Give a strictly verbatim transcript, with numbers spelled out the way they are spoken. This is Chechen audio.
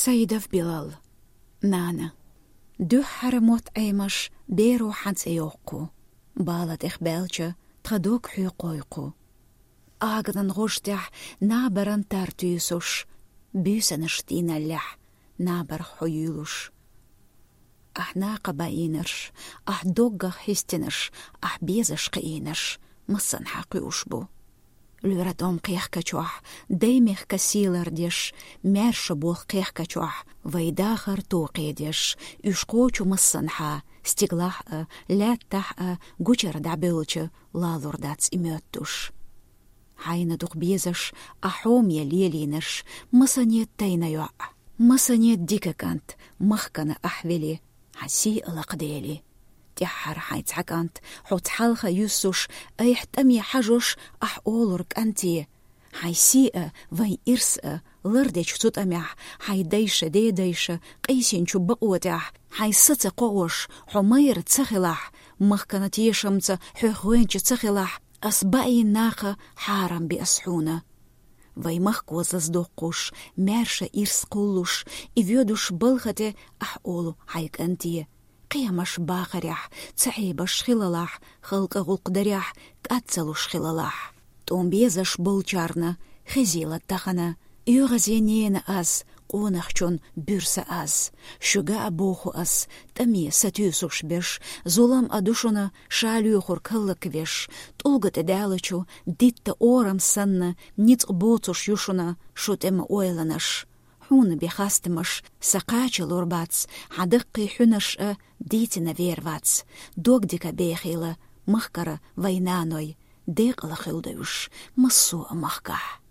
Саидов Билал. Нана. Дуьххьара мотт Ӏемаш беро хьан цӀе йоккху. Бала тӀех баьлча, тха дог хьоькхой кху. Аганан гӀож тӀехь набаран тар туьйсуш, буьйсанаш тийналлехь, набарх хьо юьйлуш. Ахь накха баийнарш, ахь доггах хьистинарш, ахь безаш кхиийнарш, массанхьа кхуьуш бу. Луьра тӀом кхехкачохь, даймехка сийлар деш, маьрша болх кхехкачохь, вай дахар токхедеш, уьш кхочу массанхьа, стиглахь а, лаьттахь а, гучара дӀабевлча, лалур дац и моьттуш. Хьайна дукха безаш, ахь хьоме лелийнарш, масане тайна йоӀ, масане дика кӀант, махкана ахь вели, хьан сий а лакхадели. ТӀаьххьара хьайн цхьа кӀант, хьо цхьалха юьссуш, айхьа тӀаме хьажош, ахь олур кӀанте: хьайн сий а, вайн ирс а лардечу цу тӀамехь, хьайн дайша, дедайша къийсинчу бакъо тӀехь, хьайн са ца кхоош, хьо майра ца хилахь, махкана тешамца хьох гӀоьнча ца хилахь, ас баийна накха хьарам би ас хьуна. Вай махко заз доккхуш, маьрша ирс кхуллуш, и воьдуш балха тӀе ахь олу хьайн кӀанте: кхиамаш бахарехь, ца Ӏебаш хилалахь, халкъа гӀуллакх дарехь, кӀад ца луш хилалахь. ТӀом безаш болчарна хезийла тахана, оьгӀазе нена аз, къонахчун буьрса аз. Шуьга а боху ас, тӀаме сатуьйсуш берш, зулам а ду шуна ша лоьхург хӀаллаквеш, тӀулга тӀе даьллачу дитта орам санна, ницкъ боцуш ю шуна шу тӀе ма ойланаш. Хьуна бен хастамаш сан кхачалур бац, хьан даккхий хьуьнарш а дийцина вер вац. Дог дика бехийла махкара вай наной, декъала хуьлда уьш массо а махкахь.